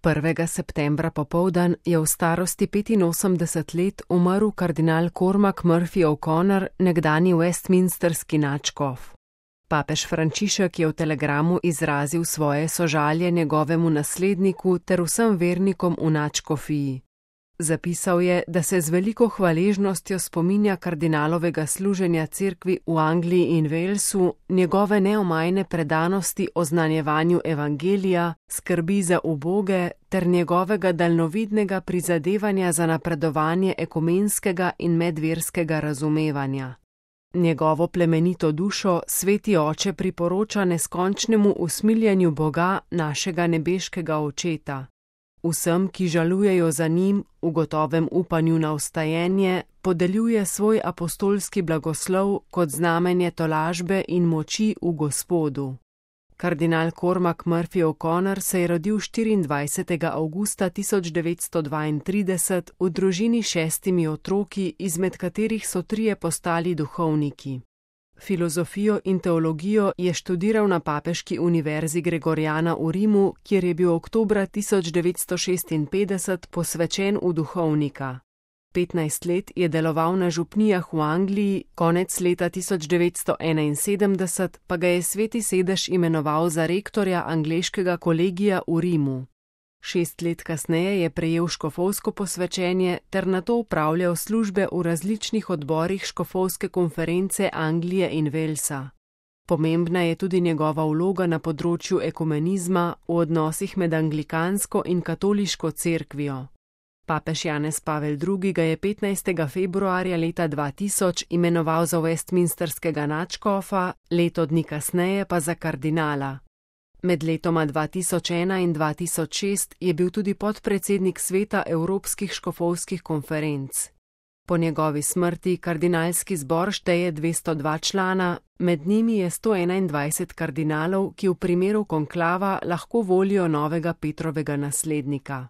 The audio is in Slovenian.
1. septembra popoldan je v starosti 85 let umrl kardinal Cormac Murphy O'Connor, nekdanji westminsterski nadškof. Papež Frančišek je v telegramu izrazil svoje sožalje njegovemu nasledniku ter vsem vernikom v nadškofiji. Zapisal je, da se z veliko hvaležnostjo spominja kardinalovega služenja cerkvi v Angliji in Walesu, njegove neomajne predanosti oznanjevanju evangelija, skrbi za uboge ter njegovega daljnovidnega prizadevanja za napredovanje ekumenskega in medverskega razumevanja. Njegovo plemenito dušo sveti oče priporoča neskončnemu usmiljenju Boga, našega nebeškega Očeta. Vsem, ki žalujejo za njim, v gotovem upanju na vstajenje, podeljuje svoj apostolski blagoslov kot znamenje tolažbe in moči v Gospodu. Kardinal Cormac Murphy O'Connor se je rodil 24. avgusta 1932 v družini s 6 otroki, izmed katerih so 3 postali duhovniki. Filozofijo in teologijo je študiral na papeški univerzi Gregoriana v Rimu, kjer je bil oktobra 1956 posvečen v duhovnika. 15 let je deloval na župnijah v Angliji, konec leta 1971 pa ga je Sveti sedež imenoval za rektorja angleškega kolegija v Rimu. 6 let kasneje je prejel škofovsko posvečenje ter nato opravljal službe v različnih odborih škofovske konference Anglije in Walesa. Pomembna je tudi njegova vloga na področju ekumenizma v odnosih med anglikansko in katoliško cerkvijo. Papež Janez Pavel II. Ga je 15. februarja leta 2000 imenoval za westminsterskega nadškofa, leto dni kasneje pa za kardinala. Med letoma 2001 in 2006 je bil tudi podpredsednik sveta Evropskih škofovskih konferenc. Po njegovi smrti kardinalski zbor šteje 202 člana, med njimi je 121 kardinalov, ki v primeru konklava lahko volijo novega Petrovega naslednika.